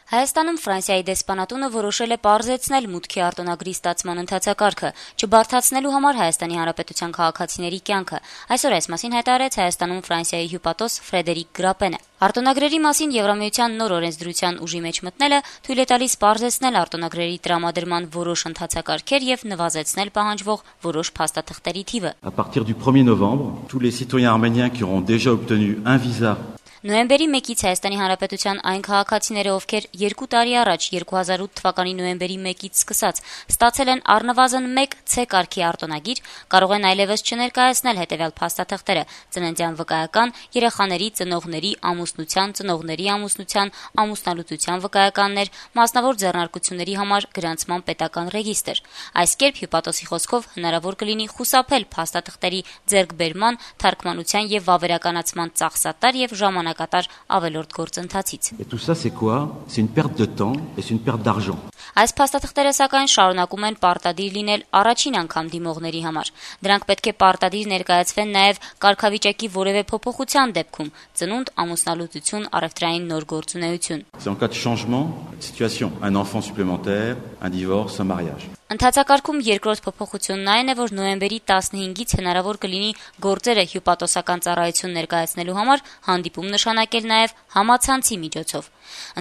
Հայաստանում Ֆրանսիայի դեսպանատունը որոշել է պարզեցնել մուտքի արտոնագրի ստացման ընթացակարգը, չբարդացնելու համար Հայաստանի Հանրապետության քաղաքացիների կյանքը։ Այսօր այս մասին հայտարարեց Հայաստանում Ֆրանսիայի հյուպատոս Ֆրեդերիկ Գրապենը։ Արտոնագրերի մասին Եվրամիության նոր օրենսդրության ուժի մեջ մտնելը թույլ է տալիս պարզեցնել արտոնագրերի տրամադրման որոշ ընթացակարգեր եւ նվազեցնել պահանջվող որոշ փաստաթղթերի թիվը։ À partir du 1er novembre, tous les citoyens arméniens qui auront déjà obtenu un visa Նոյեմբերի 1-ից Հայաստանի Հանրապետության այն քաղաքացիները, ովքեր 2 տարի առաջ 2008 թվականի նոյեմբերի 1-ից սկսած ստացել են առնվազն 1 C կարգի արտոնագիր, կարող են այլևս չներկայացնել հետևյալ փաստաթղթերը՝ ծննդյան վկայական, երեխաների, ծնողների, ամուսնության, ամուսնալուծության վկայականներ, մասնավոր ձեռնարկությունների համար գրանցման պետական ռեգիստր։ Այս կերպ հյուպատոսի խոսքով հնարավոր կլինի խուսափել փաստաթղթերի ձեռքբերման, թարգմանության եւ վավերականացման ծախսատար եւ ժամանակատար ավելորդ գործընթացից։ Et tout ça c'est quoi? C'est une perte de temps et c'est une perte d'argent. Այս փաստաթղթերը սակայն շարունակում են պարտադիր լինել առաջին անգամ դիմողների համար։ Դրանք պետք է պարտադիր ներկայացվեն նաև կարգավիճակի որևէ փոփոխության դեպքում՝ ծնունդ, ամուսնալուծություն, առևտրային նոր գործունեություն։ C'est en cas de changement de situation, un enfant supplémentaire, un divorce, un mariage. Ընթացակարգում երկրորդ փոփոխությունն այն է, որ նոյեմբերի 15-ից հնարավոր կլինի գործերը հյուպատոսական ծառայություն ներկայացնելու համար հանդիպում նշանակել նաև համացանցի միջոցով։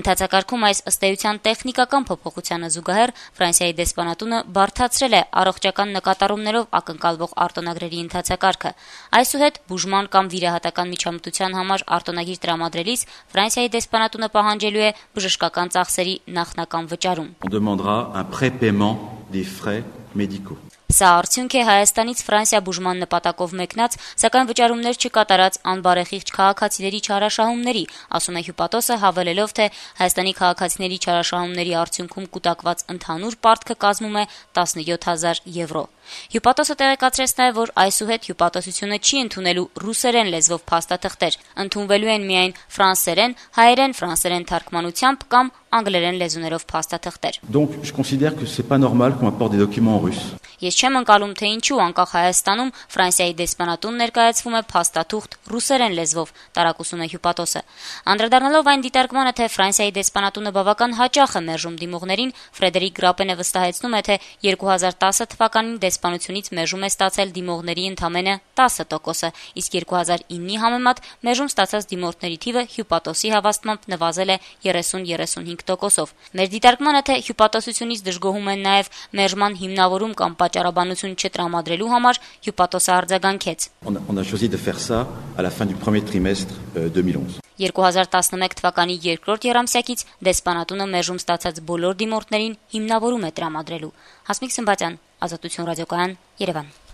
Ընթացակարգում այս ըստ էության տեխնիկական փոփոխությանը զուգահեռ Ֆրանսիայի դեսպանատունը բարդացրել է առողջական նկատառումներով ակնկալվող արտոնագրերի ընթացակարգը։ Այսուհետ բուժման կամ վիրահատական միջամտության համար արտոնագիր տրամադրելիս Ֆրանսիայի դեսպանատունը պահանջելու է բժշկական ծախսերի նախնական վճարում։ On demandera un prépaiement des frais médicaux. Սա արդյունք է Հայաստանից Ֆրանսիա բուժման նպատակով մեկնած, սակայն վճարումներ չկատարած անբարեխիղճ քաղաքացիների չարաշահումների, ասում է հյուպատոսը, հավելելով, թե Հայաստանի քաղաքացիների չարաշահումների արդյունքում կուտակված ընդհանուր պարտքը կազմում է 17,000 եվրո։ Հյուպատոսը տեղեկացրեց նաև, որ այսուհետ հյուպատոսությունը չի ընդունելու ռուսերեն լեզվով փաստաթղթեր, ընդունվելու են միայն ֆրանսերեն, հայերեն, ֆրանսերեն թարգմանությամբ կամ անգլերեն լեզուներով փաստաթղթեր։ Donc je considère que c'est pas normal qu'on apporte des documents en russe. Ես չեմ ընկալում, թե ինչու անկախ Հայաստանում Ֆրանսիայի դեսպանատուն ներկայացվում է փաստաթուղթ ռուսերեն լեզվով, տարակուսում է հյուպատոսը։ Անդրադառնալով այն դիտարկմանը, թե Ֆրանսիայի դեսպանատունը բավական հաճախ է մերժում դիմողներին, Ֆրեդերիկ Գրապենը վստահեցնում է, թե 2010 թվականին դեսպանությունից մերժում է ստացել դիմողների ընդամենը 10%, իսկ 2009-ի համեմատ մերժում ստացած դիմորդների թիվը հյուպատոսի հավաստմամբ նվազել է 30-35%-ով։ Մեր դիտարկմանը, թե հյուպատոսությունից դժգոհում են նաև մերժման հիմնավորում կամ պատճառաբանություն չտրամադրելու համար հյուպատոսը արձագանքեց։ On a choisi de faire ça à la fin du premier trimestre 2011. 2011 թվականի երկրորդ եռամսյակից դեսպանատունը մերժում ստացած բոլոր դիմորդներին հիմնավորում է տրամադրելու։ Հասմիկ Սմբատյան, Ազատություն ռադիոկայան, Երևան։